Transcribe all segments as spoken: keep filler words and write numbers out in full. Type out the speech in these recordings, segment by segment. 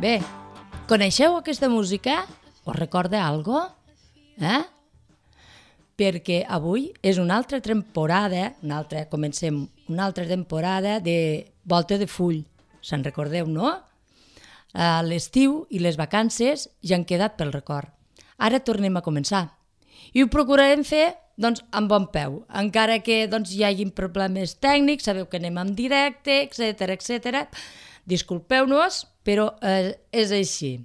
Bé, coneixeu aquesta música? Us recorda algo? Eh? Perquè avui és una altra temporada, una altra, comencem una altra temporada de Volta de Full. Se'n recordeu, no? A l'estiu i les vacances ja han quedat pel record. Ara tornem a començar. I ho procurarem fer doncs, amb bon peu, encara que doncs, hi hagi problemes tècnics, sabeu que anem en directe, etcètera, etcètera. Disculpeu-nos, però eh, és així.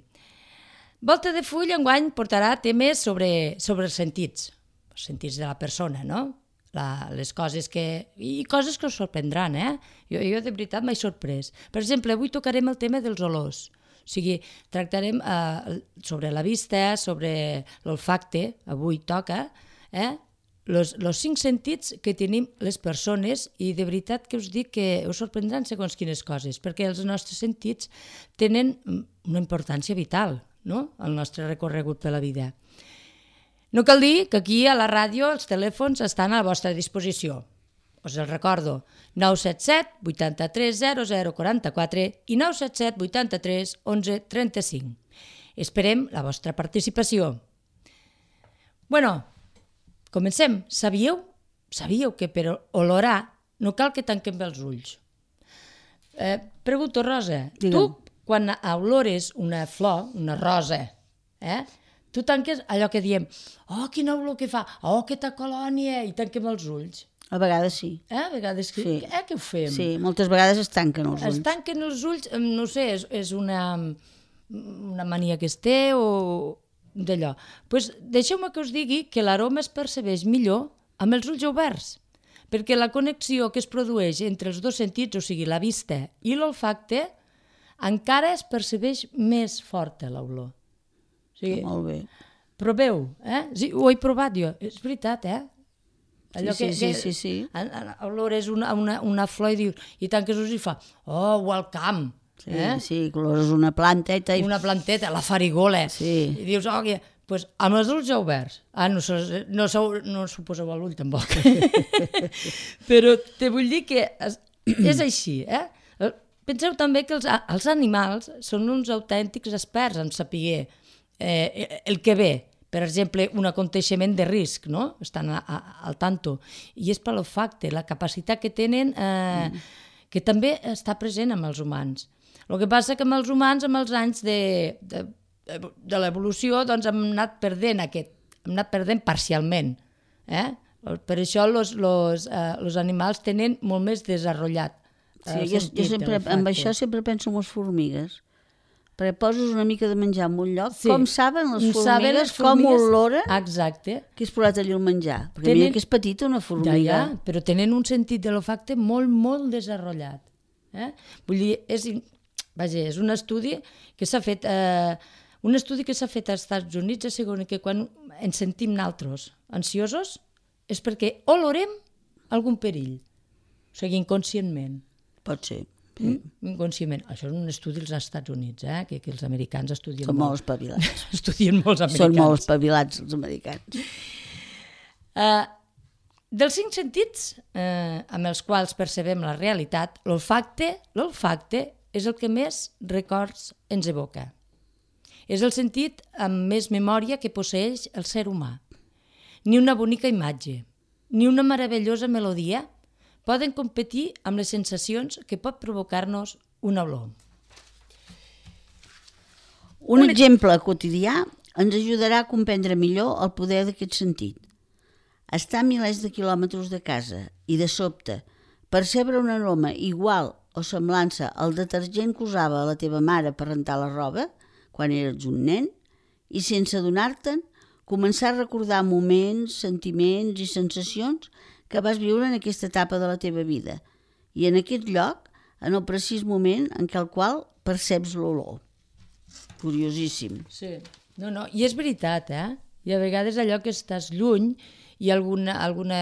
Volta de Full enguany portarà temes sobre, sobre els sentits, els sentits de la persona, no? La, les coses que... i coses que us sorprendran, eh? Jo, jo de veritat m'he sorprès. Per exemple, avui tocarem el tema dels olors. O sigui, tractarem eh, sobre la vista, sobre l'olfacte, avui toca, eh? Los, los cinc sentits que tenim les persones, i de veritat que us dic que us sorprendran segons quines coses, perquè els nostres sentits tenen una importància vital, no?, al nostre recorregut per la vida. No cal dir que aquí a la ràdio els telèfons estan a la vostra disposició. Us els recordo, nou set set vuitanta-tres zero zero quaranta-quatre i nou set set vuitanta-tres onze trenta-cinc. Esperem la vostra participació. Bueno, comencem. Sabíeu? Sabíeu que per olorar no cal que tanquem els ulls. Eh, pregunto, Rosa, Digue'm. tu quan olores una flor, una rosa, eh, tu tanques allò que diem, oh, quina olor que fa, oh, aquesta colònia, i tanquem els ulls. A vegades sí. Eh? A vegades que, Sí. eh, què ho fem? Sí, moltes vegades es tanquen els ulls. Es tanquen els ulls, no sé, és, és una, una mania que es té o d'allò. Pues deixeu-me que us digui que l'aroma es percebeix millor amb els ulls oberts, perquè la connexió que es produeix entre els dos sentits, o sigui, la vista i l'olfacte, encara es percebeix més forta l'olor. O sigui, Molt bé. proveu, eh? Sí, ho he provat jo, és veritat, eh? Sí, sí, sí, sí, sí. Olores una, una, una flor i dius, i tanques els ulls i fa, oh, welcome, Sí, eh? sí, olores una planteta i... Una planteta, la farigola, Sí. i dius, oh, que... pues, amb els ulls oberts. Ah, no, se- no, se- no s'ho poseu a l'ull, tampoc. Però te vull dir que és, és així, eh? Penseu també que els, els animals són uns autèntics experts en saber eh, el que ve. Per exemple, un aconteixement de risc, no? Estan a, a, al tanto. I és per l'olfacte, la capacitat que tenen, eh, mm. que també està present amb els humans. El que passa que amb els humans, amb els anys de, de, de l'evolució, doncs hem anat perdent aquest, hem anat perdent parcialment. Eh? Per això els eh, animals tenen molt més desenvolupat. Sí, jo, jo sempre, amb això sempre penso en les formigues. Perquè poses una mica de menjar en un lloc, Sí. com saben les formigues, Saben les com formigues- olora Exacte. que has posat allà el menjar. Perquè Tenen- mira que és petita una Ja, formiga. ja, però tenen un sentit de l'olfacte molt, molt desenvolupat. Eh? Vull dir, és, vaja, és un estudi que s'ha fet, eh, un estudi que s'ha fet als Estats Units, assegura que quan ens sentim naltros ansiosos és perquè olorem algun perill, o sigui, inconscientment. Pot ser. Mm? Inconscientment. Això és un estudi als Estats Units, eh? que, que els americans estudien Són molt molt. espavilats. Estudien molts americans. Són molt espavilats els americans. Uh, dels cinc sentits eh, amb els quals percebem la realitat, l'olfacte l'olfacte és el que més records ens evoca. És el sentit amb més memòria que posseix el ser humà. Ni una bonica imatge, ni una meravellosa melodia poden competir amb les sensacions que pot provocar-nos una olor. Un Un exemple quotidià ens ajudarà a comprendre millor el poder d'aquest sentit. Estar a milers de quilòmetres de casa i, de sobte, percebre un aroma igual o semblança al detergent que usava la teva mare per rentar la roba quan eres un nen i, sense adonar-te'n, començar a recordar moments, sentiments i sensacions que vas viure en aquesta etapa de la teva vida i en aquest lloc, en el precís moment en què el qual perceps l'olor. Curiosíssim. Sí. No, no, i és veritat, eh? I a vegades allò que estàs lluny i alguna, alguna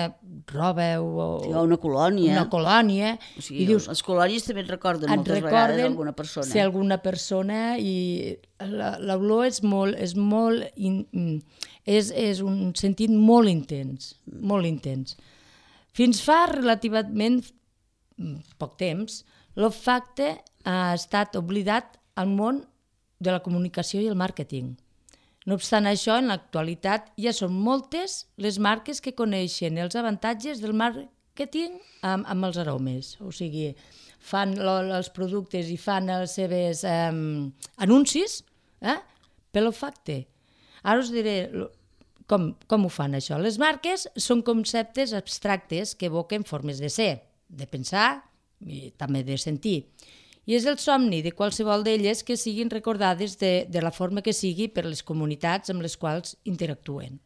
roba o, Sí, o una colònia. una colònia, O sigui, i dius, les colònies també et recorden et moltes vegades recorden alguna persona. ser alguna persona i la- l'olor és molt, és molt, in, és, és un sentit molt intens, molt intens. Fins fa relativament poc temps, l'olfacte ha estat oblidat al món de la comunicació i el màrqueting. No obstant això, en l'actualitat ja són moltes les marques que coneixen els avantatges del màrqueting amb, amb els aromes. O sigui, fan lo, els productes i fan els seus eh, anuncis eh, pel olfacte. Ara us diré com, com ho fan això. Les marques són conceptes abstractes que evoquen formes de ser, de pensar i també de sentir. I és el somni de qualsevol d'elles que siguin recordades de, de la forma que sigui per les comunitats amb les quals interactuen.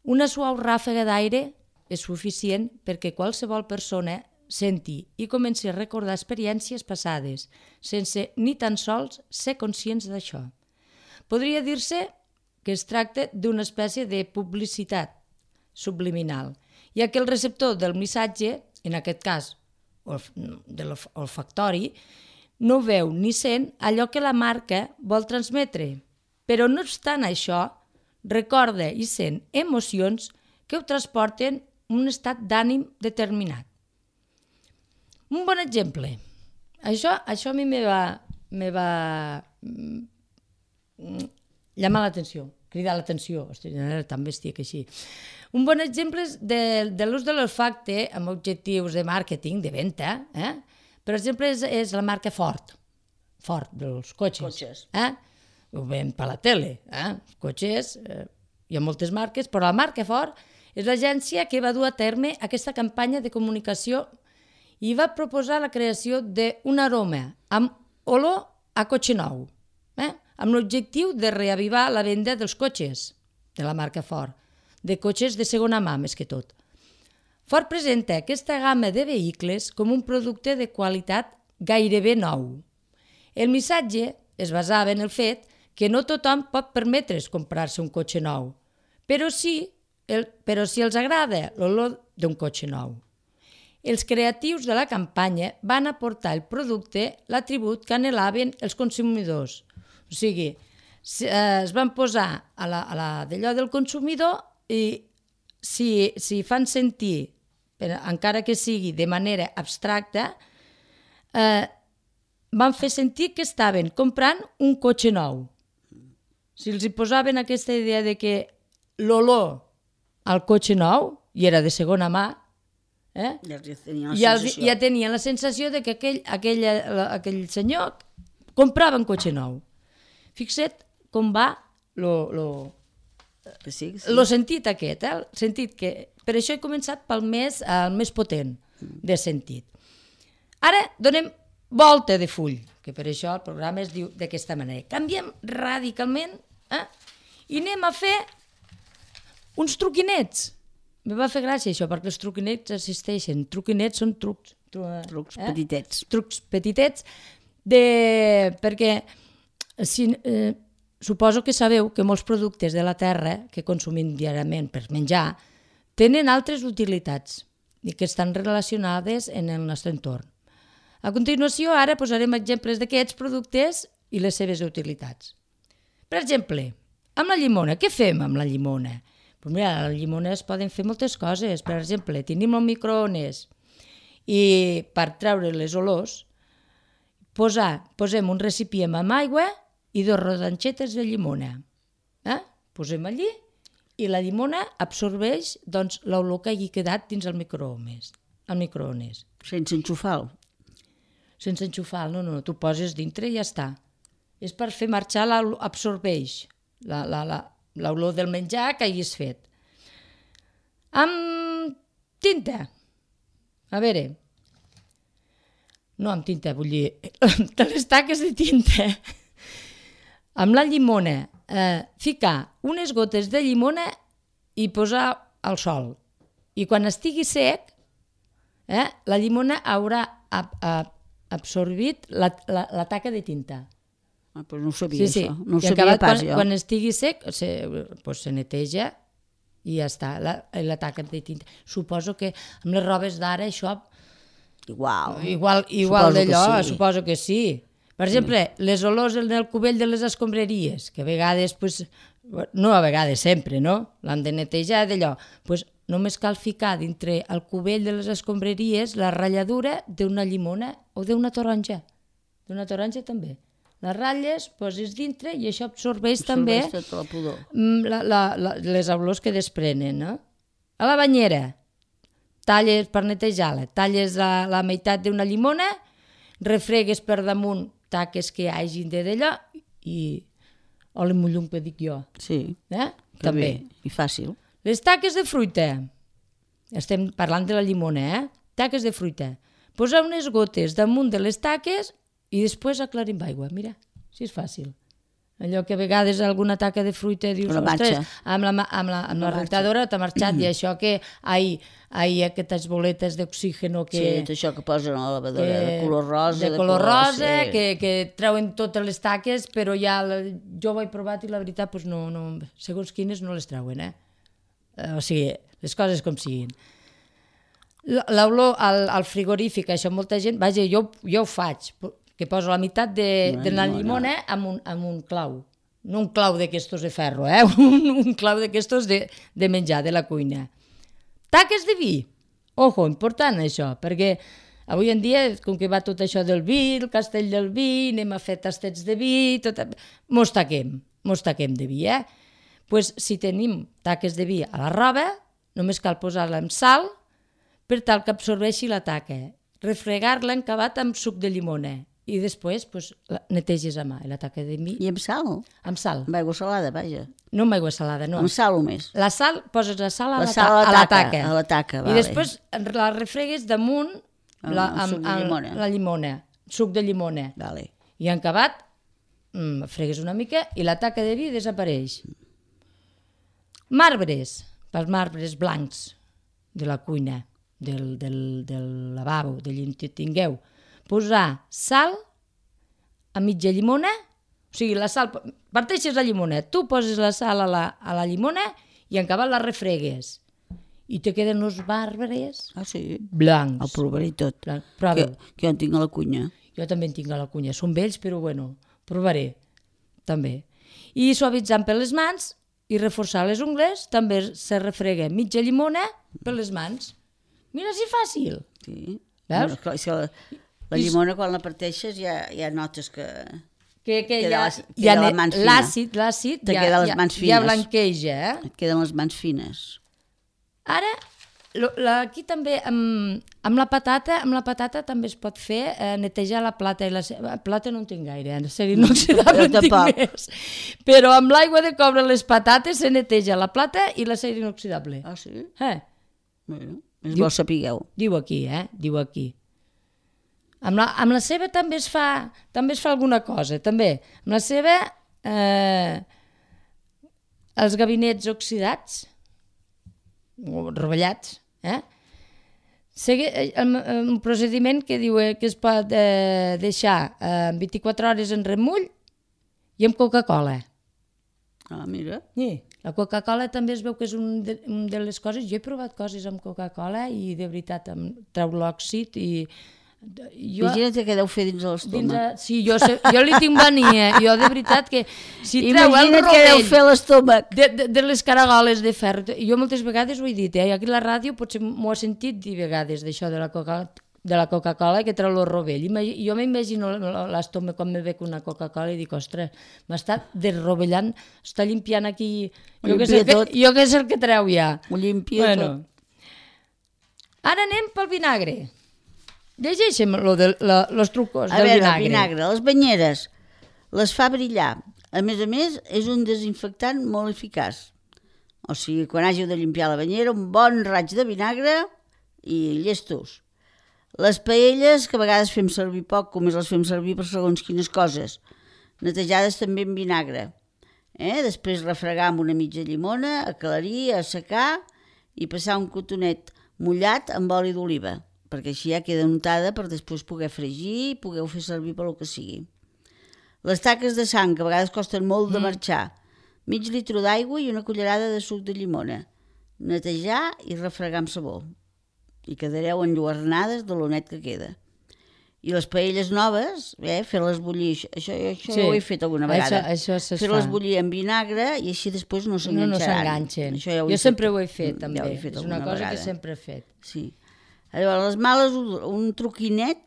Una suau ràfega d'aire és suficient perquè qualsevol persona senti i comenci a recordar experiències passades, sense ni tan sols ser conscients d'això. Podria dir-se que es tracta d'una espècie de publicitat subliminal, ja que el receptor del missatge, en aquest cas de l'olfactori, no veu ni sent allò que la marca vol transmetre, però no obstant això, recorda i sent emocions que ho transporten a un estat d'ànim determinat. Un bon exemple. Això, això a mi me va, me va llamar l'atenció, cridar l'atenció, també estic així. Un bon exemple de, de l'ús de l'olfacte amb objectius de màrqueting, de venda, eh? Per exemple, és, és la marca Ford, Ford, dels cotxes. Cotxes. Eh? Ho veiem per la tele, eh? Cotxes, eh? Hi ha moltes marques, però la marca Ford és l'agència que va dur a terme aquesta campanya de comunicació i va proposar la creació d'un aroma amb olor a cotxe nou, eh? Amb l'objectiu de reavivar la venda dels cotxes de la marca Ford, de cotxes de segona mà més que tot. Ford presenta aquesta gamma de vehicles com un producte de qualitat gairebé nou. El missatge es basava en el fet que no tothom pot permetre's comprar-se un cotxe nou, però sí, el, però sí els agrada l'olor d'un cotxe nou. Els creatius de la campanya van aportar al producte l'atribut que anhelaven els consumidors. O sigui, es van posar a la, a la d'allò del consumidor i si, si fan sentir, encara que sigui de manera abstracta, eh, van fer sentir que estaven comprant un cotxe nou. Si els hi posaven aquesta idea de que l'olor al cotxe nou, i era de segona mà, eh, ja, tenien ja, ja tenien la sensació de que aquell, aquell, aquell senyor comprava un cotxe nou. Fixa't com va lo, lo, sí, sí. lo sentit aquest, eh? El sentit que... Per això he començat pel més, el més potent de sentit. Ara donem volta de full, que per això el programa es diu d'aquesta manera. Canviem radicalment eh? I anem a fer uns truquinets. Me va fer gràcia això, perquè els truquinets existeixen. Truquinets són trucs. Tru, trucs eh? petitets. Trucs petitets, de... perquè si, eh, suposo que sabeu que molts productes de la terra que consumim diàriament per menjar tenen altres utilitats i que estan relacionades en el nostre entorn. A continuació, ara posarem exemples d'aquests productes i les seves utilitats. Per exemple, amb la llimona. Què fem amb la llimona? Pues mira, a la llimona es poden fer moltes coses. Per exemple, tenim el microones i per treure les olors posar, posem un recipient amb aigua i dos rodanxetes de llimona. Eh? Posem allí i la llimona absorbeix doncs, l'olor que hagi quedat dins el microones. El microones. Sense enxufar-lo. Sense enxufar, no, no, tu poses dintre i ja està. És per fer marxar, absorbeix l'olor del menjar que hagis fet. Amb tinta. A veure, no amb tinta, vull dir, de les taques de tinta. Amb la llimona, eh, ficar unes gotes de llimona i posar al sol. I quan estigui sec, eh, la llimona haurà ab ab absorbit la, la, la taca de tinta. Ah, doncs no ho sabia, sí, sí. això. No ho I sabia acabat, pas, quan, jo. Quan estigui sec, se, pues, se neteja i ja està, la, la taca de tinta. Suposo que amb les robes d'ara això... Igual. Igual, igual Suposo d'allò, que sí. suposo que sí. Per exemple, sí. Les olors en el cubell de les escombraries, que a vegades, pues, no a vegades, sempre, no? L'han de netejar d'allò. Pues, només cal ficar dintre el cubell de les escombraries la ratlladura d'una llimona o d'una taronja. D'una taronja també. les ratlles, poses dintre i això absorbeix, també Absorbeix tota la pudor. la, la, la, les olors que desprenen. No? A la banyera, talles per netejar-la, talles la, la meitat d'una llimona, refregues per damunt taques que hi hagin de d'allò i oli mullum que dic jo. Sí, Eh? que També. bé, i fàcil. Les taques de fruita. Estem parlant de la llimona, eh? Taques de fruita. Posar unes gotes damunt de les taques i després aclarim aigua. Mira, si és fàcil. Allò que a vegades alguna taca de fruita dius, Una ostres, marxa. amb la, ma- amb la, amb la marxa. rentadora t'ha marxat i això que hi ha aquestes boletes d'oxígeno que... Sí, tot això que posen a la lavadora, de color rosa. de color rosa, sí. que, que treuen totes les taques, però ja la, jo ho he provat i la veritat, doncs no, no, segons quines no les treuen, eh? O sigui, les coses com siguin. L'olor al, al frigorífic, això molta gent, vaja, jo, jo ho faig, que poso la meitat de, de la llimona amb un, amb un clau. No un clau d'aquestos de ferro, eh? Un, un clau d'aquestos de, de menjar, de la cuina. Taques de vi. Ojo, important això, perquè avui en dia, com que va tot això del vi, el castell del vi, anem a fer tastets de vi, tot... mos taquem, mos taquem de vi, eh? Pues, si tenim taques de vi a la roba, només cal posar-la amb sal per tal que absorbeixi la taca, refregar-la encabat amb suc de llimona i després pues, la neteges a mà, la taca de vi, I amb sal? amb sal. Amb aigua salada, vaja. No amb aigua salada, no. Amb sal només. La sal, poses la sal a la, La sal a la ta a la taca, taca. a la taca, I vale. després la refregues damunt la, Amb suc de llimona. la llimona, suc de llimona. Vale. I en acabat, mm, fregues una mica i la taca de vi desapareix. Marbres, pels marbres blancs de la cuina, del, del, del lavabo, de on tingueu. Posar sal a mitja llimona, o sigui, la sal, parteixes la llimona, tu poses la sal a la, a la llimona i en acabat la refregues. I te queden uns marbres Ah, sí? blancs. El provaré tot. Blanc. Que, Prova. que jo en tinc a la cunya. Jo també en tinc a la cunya. Són vells, però bueno, provaré. També. I suavitzant per les mans i reforçar les ungles, també se refrega mitja llimona per les mans. Mira si fàcil. Sí. Veus? No, clar, és que la, la llimona, quan la parteixes, ja, ja notes que... Que, que Queda ja, les- queda ja la ne- mans fina. l'àcid, l'àcid Te ja, queda les ja, mans ja fines. blanqueja, eh? Et queden les mans fines. Ara, lo, la, aquí també, amb, amb la patata, amb la patata també es pot fer eh, netejar la plata. I la, ce- plata no en tinc gaire, eh? Ser inoxidable Jo en tinc tampoc. més. Però amb l'aigua de coure les patates se neteja la plata i la ser inoxidable. Ah, sí? Eh? Bueno, és Diu- bo sapigueu. Diu aquí, eh? Diu aquí. Amb la, amb la ceba també es fa també es fa alguna cosa, també. Amb la ceba, eh, els gabinets oxidats, o rovellats, eh? Segui, el, un procediment que diu que es pot eh, deixar eh, vint-i-quatre hores en remull i amb Coca-Cola. Ah, mira. Sí. La Coca-Cola també es veu que és un de, un de les coses... Jo he provat coses amb Coca-Cola i de veritat em treu l'òxid i... Jo, Imagina't què deu fer dins de dins l'estómac. a, sí, jo, sé, jo li tinc mania. Jo de veritat que si treu el Imagina't què deu rovell fer l'estómac. de, de, de les caragoles de ferro... Jo moltes vegades ho he dit, eh? Aquí a la ràdio potser m'ho he sentit dir vegades d'això de la Coca de la Coca-Cola que treu el rovell. Imagi, jo m'imagino l'estómac quan me bec una Coca-Cola i dic, ostres, m'està desrovellant, està limpiant aquí... Jo que, sé el que, tot. jo que és el que treu ja. Ho limpia Bueno. tot. Ara anem pel vinagre. Llegeixem lo de, la, los trucos A del veure, vinagre. el vinagre, les banyeres, les fa brillar. A més a més, és un desinfectant molt eficaç. O sigui, quan hàgiu de limpiar la banyera, un bon raig de vinagre i llestos. Les paelles, que a vegades fem servir poc, com les fem servir per segons quines coses. Netejades també amb vinagre. Eh? Després refregar amb una mitja llimona, aclarir, assecar i passar un cotonet mullat amb oli d'oliva, perquè així ja queda untada per després poder fregir i poder fer servir per lo que sigui. Les taques de sang, que a vegades costen molt de marxar. Mig litre d'aigua i una cullerada de suc de llimona. Netejar i refregar amb sabó. I quedareu enlluernades de lo net que queda. I les paelles noves, eh, fer-les bullir, això, això Sí, ho he fet alguna vegada. això- això se fer-les fa. bullir amb vinagre i així després no No, s'enganxaran. no s'enganxen. Això ja ho Jo he sempre fet. ho he fet, Mm, també. ja ho he fet És una alguna cosa vegada. que sempre he fet. Sí. Llavors, les males, un truquinet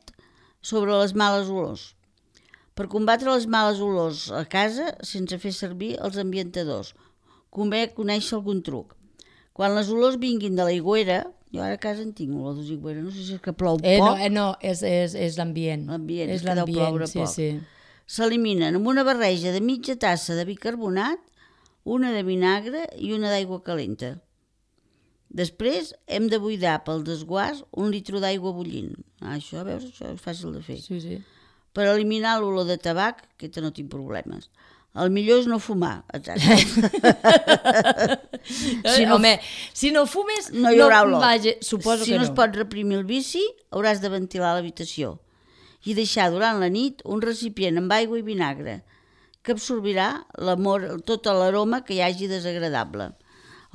sobre les males olors. Per combatre les males olors a casa sense fer servir els ambientadors, convé conèixer algun truc. Quan les olors vinguin de l'aigüera, jo ara a casa en tinc olor d'aigüera, no sé si és que plou Eh, no, poc. eh, no, és, és, és l'ambient. L'ambient, és és que deu ploure sí, poc. sí. S'eliminen amb una barreja de mitja tassa de bicarbonat, una de vinagre i una d'aigua calenta. Després hem de buidar pel desguàs un litre d'aigua bullint. Ah, això, veus, això és fàcil de fer. Sí, sí. Per eliminar l'olor de tabac, aquesta no tinc problemes. El millor és no fumar, exacte. Si no, home, si no fumes, no hi haurà olor. Vaja, suposo si que no. no. Si no es pot reprimir el vici, hauràs de ventilar l'habitació i deixar durant la nit un recipient amb aigua i vinagre que absorbirà tota l'aroma que hi hagi desagradable.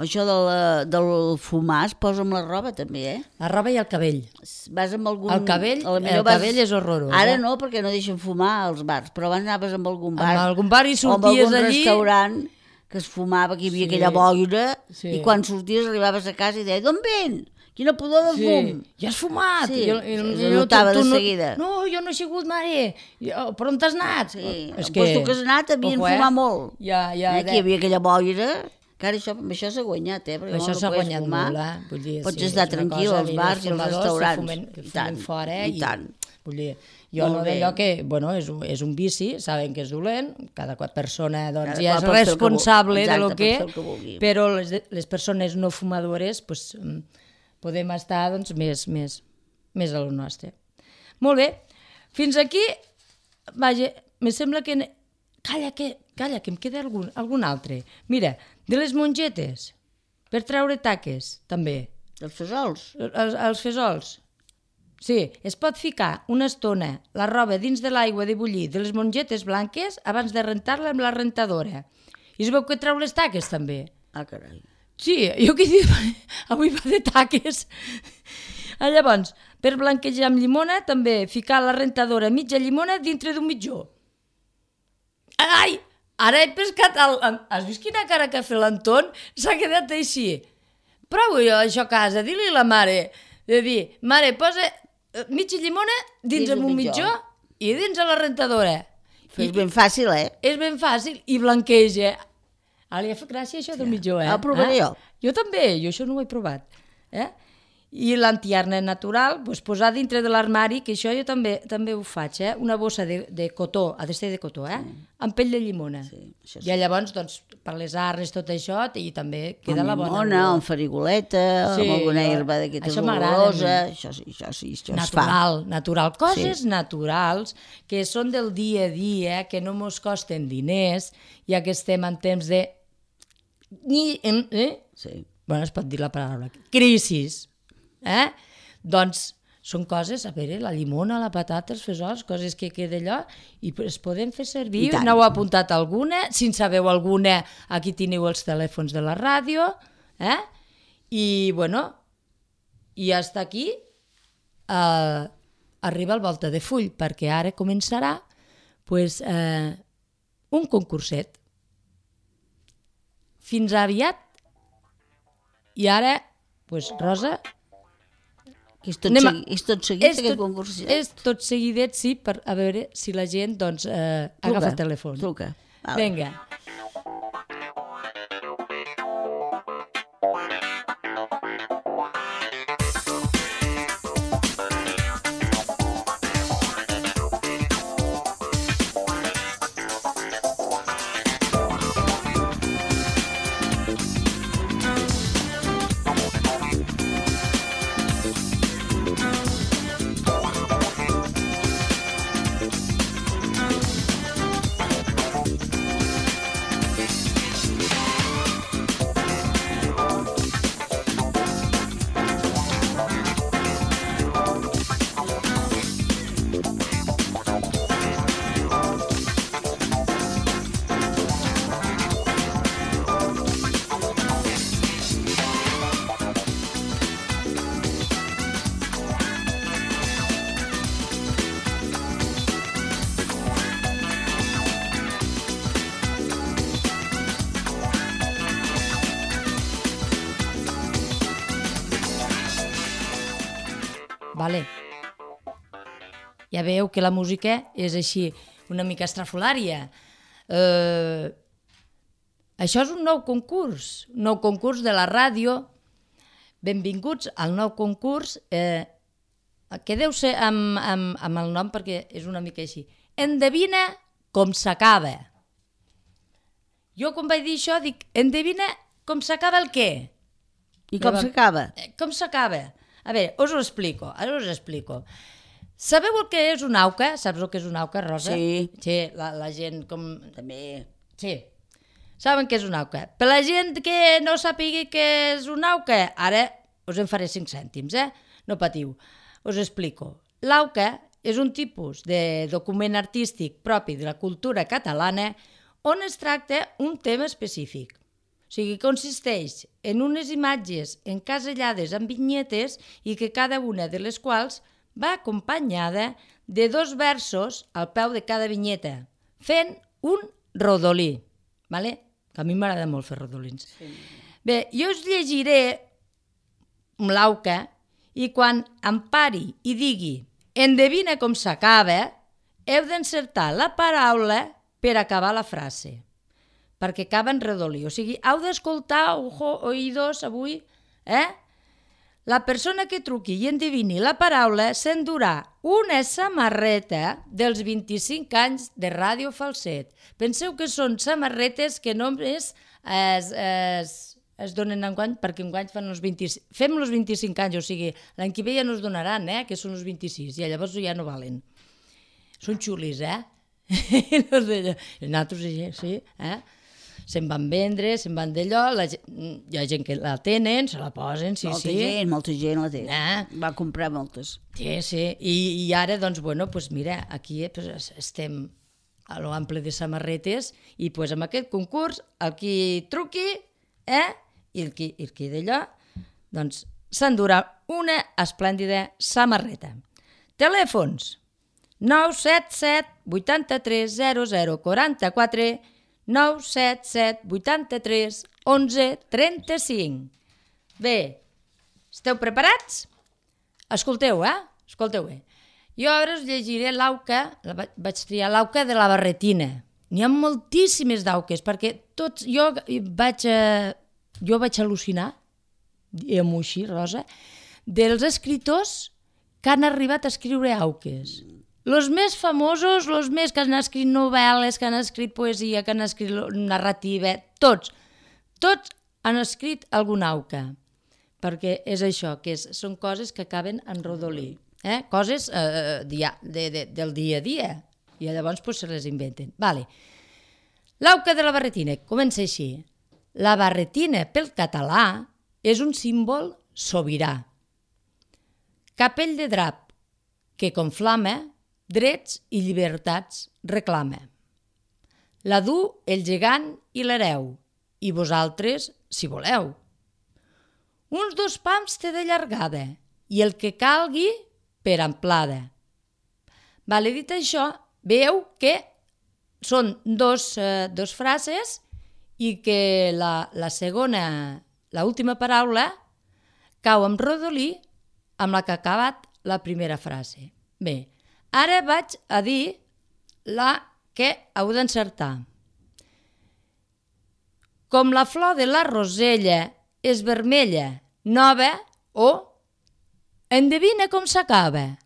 Això del, del fumar es posa amb la roba també, eh? La roba i el cabell. Vas amb algun... El cabell, el vas... cabell és horrorós. Ara eh? no, perquè no deixen fumar als bars, però abans anaves amb algun bar. Amb algun bar i sorties allí... O amb algun allí... restaurant que es fumava, que hi havia sí. aquella boira, sí. I quan sorties arribaves a casa i deia, d'on vens? Quina pudor de fum! Sí. Ja has fumat! Sí, jo, jo, es notava de no, seguida. No, jo no he sigut, mare! Jo, per on t'has anat? Sí, és que... Pues tu que has anat havien Ojo, fumat eh? molt. Ja, ja, eh? Que hi havia aquella boira... Que ara això, això s'ha guanyat, eh? Perquè això no s'ha no guanyat fumar, molt, eh? Vull dir, pots sí, estar tranquil als bars i als restaurants. Fumen, I tant, fora, eh? i tant. Vull dir, jo molt no d'allò que, bueno, és, és un vici, saben que és dolent, cada persona doncs, ja és responsable de lo que, que però les, les persones no fumadores pues, podem estar doncs, més, més, més a lo nostre. Molt bé, fins aquí, vaja, me sembla que... Calla, que, calla, que em queda algun, algun altre. Mira, de les mongetes, per treure taques, també. Els fesols? Els, els fesols. Sí, es pot ficar una estona la roba dins de l'aigua de bullir de les mongetes blanques abans de rentar-la amb la rentadora. I es veu que treu les taques, també. Ah, carai. Sí, jo que dic, avui va de taques. Llavors, per blanquejar amb llimona, també ficar la rentadora mitja llimona dintre d'un mitjó. Ai, ara he pescat el... Has vist quina cara que ha fet l'Anton? S'ha quedat així. Provo jo això a casa, dir-li a la mare, de dir, mare, posa mitja llimona dins, dins un mitjó. mitjó i dins a la rentadora. I, és ben fàcil, eh? És ben fàcil i blanqueja. Ara li ha fet gràcia això del mitjó, eh? El provaré eh? jo. Jo també, jo això no ho he provat. Eh? I l'antiarna natural, doncs, posar dintre de l'armari, que això jo també també ho faig, eh? Una bossa de, de cotó, ha de ser de cotó, eh? Sí. Amb pell de llimona. Sí, sí. I llavors, doncs, per les arnes, tot això, i també queda amb la bona llimona, amb farigoleta, sí, amb alguna herba d'aquestes olorosa, això sí, això sí, això natural, es fa. Natural, natural, coses sí. naturals que són del dia a dia, que no mos costen diners, ja que estem en temps de... Eh? Sí. Bueno, es pot dir la paraula. Crisis. Eh? Doncs són coses, a veure, la llimona, la patata, els fesols, coses que queda allò, i es poden fer servir. N'heu apuntat alguna? Si en sabeu alguna, aquí teniu els telèfons de la ràdio. Eh? I, bueno, i hasta aquí eh, arriba el Volta de Full, perquè ara començarà pues, eh, un concurset. Fins aviat. I ara, pues, Rosa... Que és tot, segui, és tot seguit, és aquest tot, concurs? És tot seguidet, sí, per a veure si la gent doncs, eh, agafa el telèfon. Truca. Vale. Vinga. Vale. Ja veieu que la música és així, una mica estrafolària. Eh, això és un nou concurs, un nou concurs de la ràdio. Benvinguts al nou concurs, eh, que deu ser amb, amb, amb el nom perquè és una mica així. Endevina com s'acaba. Jo quan vaig dir això dic, endevina com s'acaba el què? I com s'acaba? Com s'acaba? A veure, us ho explico, ara us ho explico. Sabeu el que és una auca? Saps el que és una auca, Rosa? Sí. Sí, la, la gent com... També. Sí. Saben què és una auca? Per la gent que no sàpiga què és una auca, ara us en faré cinc cèntims, eh? No patiu. Us explico. L'auca és un tipus de document artístic propi de la cultura catalana on es tracta un tema específic. O sigui, consisteix en unes imatges encasellades amb vinyetes i que cada una de les quals va acompanyada de dos versos al peu de cada vinyeta, fent un rodolí. Vale? Que a mi m'agrada molt fer rodolins. Sí. Bé, jo us llegiré l'auca i quan em pari i digui endevina com s'acaba, heu d'encertar la paraula per acabar la frase, perquè acaba en redolí. O sigui, heu d'escoltar, ojo, oïdos, avui, eh? La persona que truqui i endevini la paraula s'endurà una samarreta dels vint-i-cinc anys de Ràdio Falset. Penseu que són samarretes que només es, es, es donen enguany, perquè enguany fan els vint-i-cinc, fem els vint-i-cinc anys, o sigui, l'any que ve ja no es donaran, eh, que són els vint-i-sis, i llavors ja no valen. Són xulis, eh? Nosaltres, sí, eh? Se'n van vendre, se'n van d'allò, hi ha gent que la tenen, se la posen, sí, molta sí. Molta gent, molta gent la té. Eh? Va comprar moltes. Sí, sí, I, i ara, doncs, bueno, pues mira, aquí pues, estem a l'ample de samarretes i pues, amb aquest concurs, el qui truqui, eh? I el qui, el qui d'allò, doncs, s'endurà una esplèndida samarreta. Telèfons nou set set vuitanta-tres zero zero quaranta-quatre, nou set set vuitanta-tres onze trenta-cinc. Bé, esteu preparats? Escolteu, eh? Escolteu bé. Jo ara us llegiré l'auca, vaig triar l'auca de la barretina. N'hi ha moltíssimes d'auques, perquè tots, jo vaig, jo vaig al·lucinar, diguem-ho així, Rosa, dels escriptors que han arribat a escriure auques. Els més famosos, els més que han escrit novel·les, que han escrit poesia, que han escrit narrativa, tots, tots han escrit alguna auca, perquè és això, que és, són coses que acaben en rodolí, eh? Coses eh, dia, de, de, del dia a dia, i llavors pues, se les inventen. Vale. L'auca de la barretina comença així. La barretina, pel català, és un símbol sobirà. Capell de drap que conflama, drets i llibertats reclama. La du el gegant i l'hereu, i vosaltres, si voleu. Uns dos pams té de llargada, i el que calgui per amplada. Vale, dit això, veieu que són dos, eh, dos frases i que la, la segona, la última paraula, cau en rodolí amb la que ha acabat la primera frase. Bé, ara vaig a dir la que heu d'encertar. Com la flor de la rosella és vermella, nova, o endevina com s'acaba.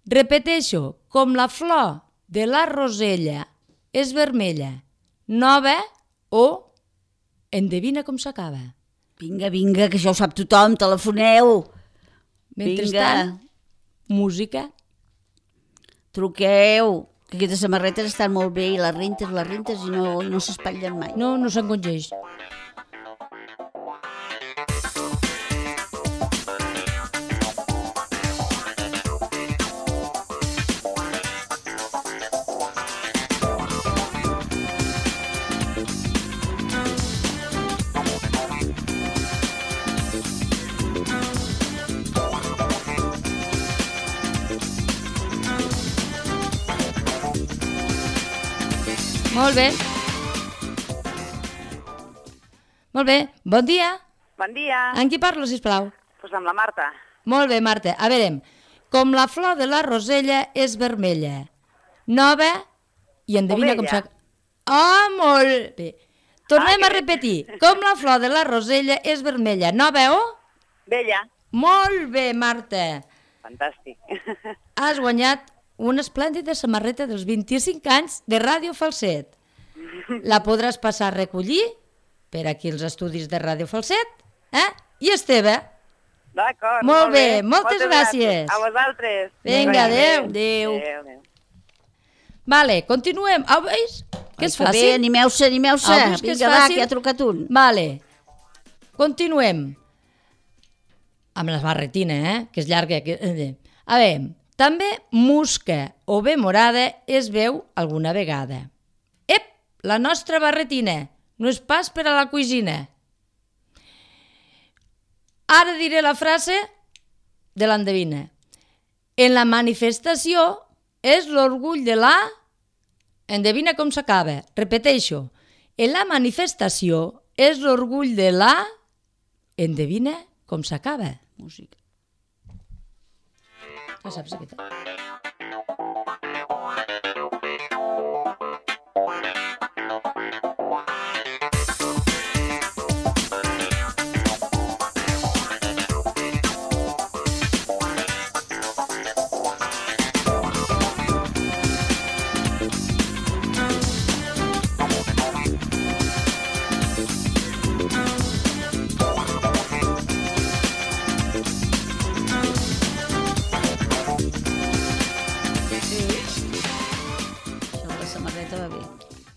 Repeteixo, com la flor de la rosella és vermella, nova, o endevina com s'acaba. Vinga, vinga, que això ho sap tothom, telefoneu. Mentrestant, música. Truqueu, que aquestes samarretes estan molt bé i les rentes, les rentes i no, no s'espatllen mai. No, no s'encongeix. Molt bé. Molt bé. Bon dia. Bon dia. Amb qui parlo, sisplau? Doncs pues amb la Marta. Molt bé, Marta. A veure, com la flor de la rosella és vermella, nova, i endevina com s'ha... Ah, molt bé. Tornem a repetir. Com la flor de la rosella és vermella, nova o? Vella. Molt bé, Marta. Fantàstic. Has guanyat una esplèndida samarreta dels vint-i-cinc anys de Ràdio Falset. La podràs passar a recollir per aquí els estudis de Ràdio Falset, eh? I és teva. D'acord, molt bé. Moltes gràcies. A vosaltres. Vinga, adéu. Adéu. Adéu. Vale, continuem. Au, veus? Que és Ai, fàcil. bé, animeu-se, animeu-se. Au, veus que és Vinga, va, fàcil? que ha trucat un. Vale. Continuem. Amb la barretina, eh? Que és llarga. Que... A veure, també musca o bé morada es veu alguna vegada. Ep, la nostra barretina. No és pas per a la cuisina. Ara diré la frase de l'endevina. En la manifestació és l'orgull de la... Endevina com s'acaba. Repeteixo. En la manifestació és l'orgull de la... Endevina com s'acaba. Música. Ja saps aquesta.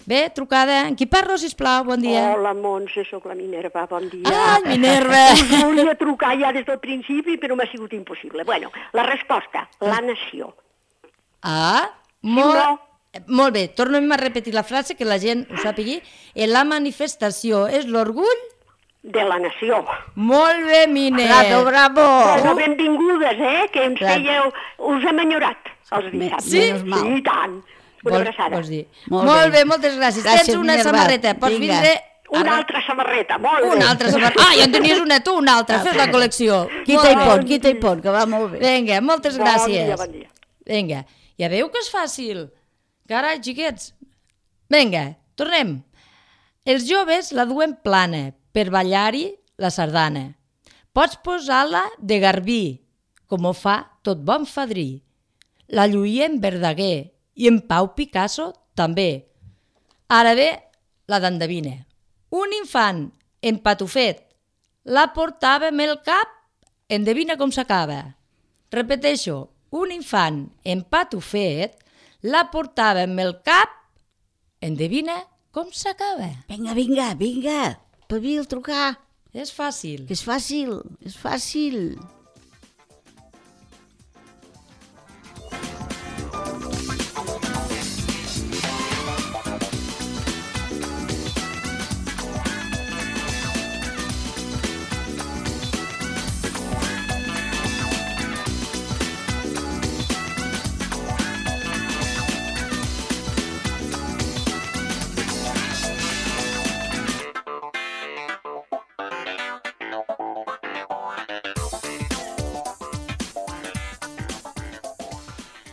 Bé, trucada. En qui parlo, sisplau? Bon dia. Hola, Montse, sóc la Minerva, bon dia. Ah, Minerva! Us volia trucar ja des del principi, però m'ha sigut impossible. Bueno, la resposta, la nació. Ah, molt, molt bé. Tornem a repetir la frase, que la gent ho sàpigui. En la manifestació és l'orgull... De la nació. Molt bé, Miner. Bravo, bravo. Bueno, benvingudes, eh, que ens fèieu... Us hem enyorat els dissabtes. Sí? Sí, i tant. Una Vols, abraçada. vols dir? Molt Molt bé. bé, moltes gràcies. Gràcies, Tens una Minerva. samarreta. Pots Vinga. vindre... Una altra samarreta, molt bé. Una altra samarreta. Ah, ja en tenies una, tu una altra. Fes la col·lecció. Quita i Molt pon, bé. quita i pon, que va molt bé. Vinga, moltes Bon gràcies. dia, bon dia. Vinga, ja veieu que és fàcil. Carai, xiquets. Vinga, tornem. Els joves la duen plana per ballar-hi la sardana. Pots posar-la de garbí, com ho fa tot bon fadrí. La lluïa en Verdaguer i en Pau Picasso també. Ara ve la d'endevina. Un infant empatufet la portava amb el cap, endevina com s'acaba. Repeteixo, un infant empatufet la portava amb el cap, endevina com s'acaba. Vinga, vinga, vinga. Pavil, trucar. És fàcil. Que és fàcil, és fàcil.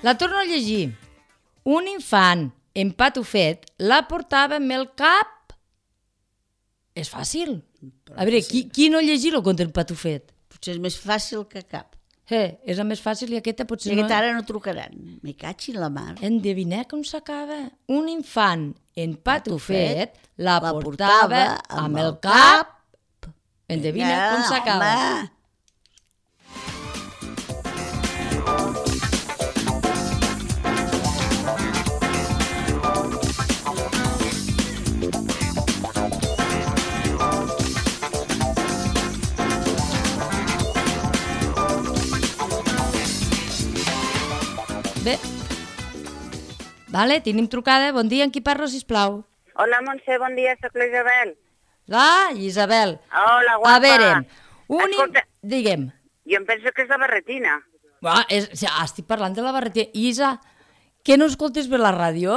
La torno a llegir. Un infant empatufet la portava amb el cap... És fàcil. A veure, qui, qui no llegir el conte empatufet? Potser és més fàcil que cap. Eh, és la més fàcil i aquesta potser I no... aquesta ara no trucaran. Me caig en la mar. Endevinar com s'acaba. Un infant empatufet la La portava amb el cap... Endevina com s'acaba. Home. Bé. Vale, tenim trucada. Bon dia, en qui parlo, sisplau? Hola, Montse, bon dia, soc la Isabel. Ah, Isabel. Hola, guapa. A veure, un... Escolta, Digue'm. jo em penso que és la barretina. Ah, és, ah, estic parlant de la barretina. Isa, que no escoltes bé la ràdio?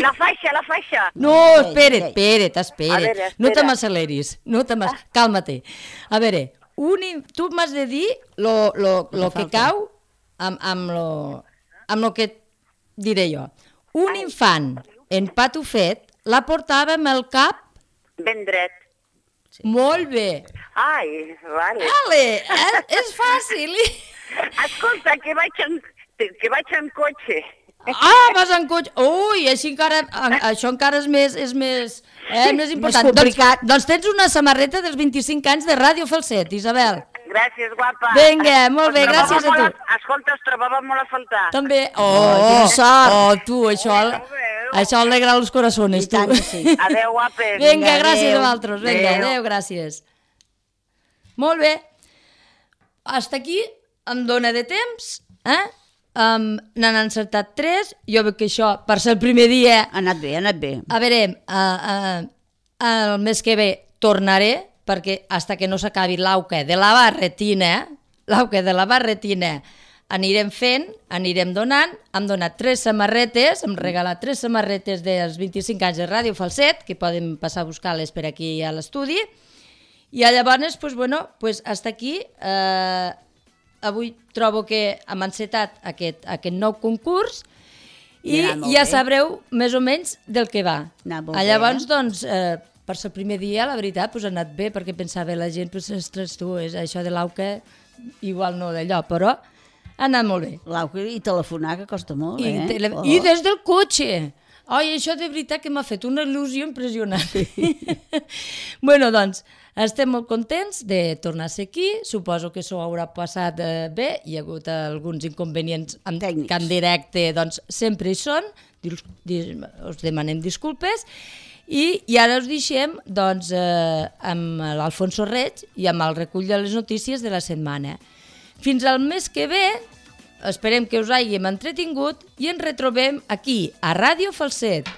La faixa, la faixa. No, espera't, espera't, espera't. A veure, No te espera. m'acceleris, no te m'ac- càlmate. A veure, un, in- tu m'has de dir lo, lo, lo que falta. cau amb, amb, lo, amb lo que diré jo. un infant en patufet la portava amb el cap Ben dret. molt bé. Ai, vale. Vale, eh? És fàcil. Escolta, que vaig en, que vaig en cotxe. Ah, vas en cotxe. Ui, així encara, això encara és més, és més, eh, més important. complicat. Doncs, doncs tens una samarreta dels vint-i-cinc anys de Ràdio Falset, Isabel. Gràcies, guapa. Vinga, molt bé, Us trobava gràcies a molt tu. Escolta, us trobava molt a faltar. També. Oh, quina sort. Oh, tu, això, això alegra els corazones, I tant tu. que sí. Adéu, guapes. Vinga, gràcies adéu. a vosaltres. Vinga, Adéu. adéu, gràcies. Molt bé. Hasta aquí em dóna de temps, eh? Um, N'han encertat tres. Jo veig que això, per ser el primer dia, Ha anat bé, ha anat bé. a veure, uh, uh, el mes que ve tornaré, perquè hasta que no s'acabi l'auca de la barretina, l'auca de la barretina, anirem fent, anirem donant. Hem donat tres samarretes, hem regalat tres samarretes dels vint-i-cinc anys de Ràdio Falset, que poden passar a buscar-les per aquí a l'estudi. I llavors, pues, bueno, pues, hasta aquí. Eh, avui trobo que hem encetat aquest, aquest nou concurs i I ha anat molt ja bé. sabreu més o menys del que va. Ha anat molt Ah, bé, Llavors, eh? doncs, eh, per ser el primer dia, la veritat, pues, ha anat bé, perquè pensava la gent, pues, ostres, tu, és això de l'auca, igual no d'allò, però ha anat molt bé. L'auca i telefonar, que costa molt, I, eh? tele... Oh. I des del cotxe. Ai, això de veritat que m'ha fet una il·lusió impressionant. Bueno, doncs, estem molt contents de tornar a ser aquí. Suposo que s'ho haurà passat eh, bé. Hi ha hagut alguns inconvenients amb, Tècnics. que en directe doncs, sempre hi són. Dis, dis, us demanem disculpes. I, i ara us deixem doncs, eh, amb l'Alfonso Reig i amb el recull de les notícies de la setmana. Fins al mes que ve, esperem que us hàgim entretingut i ens retrobem aquí, a Ràdio Falset.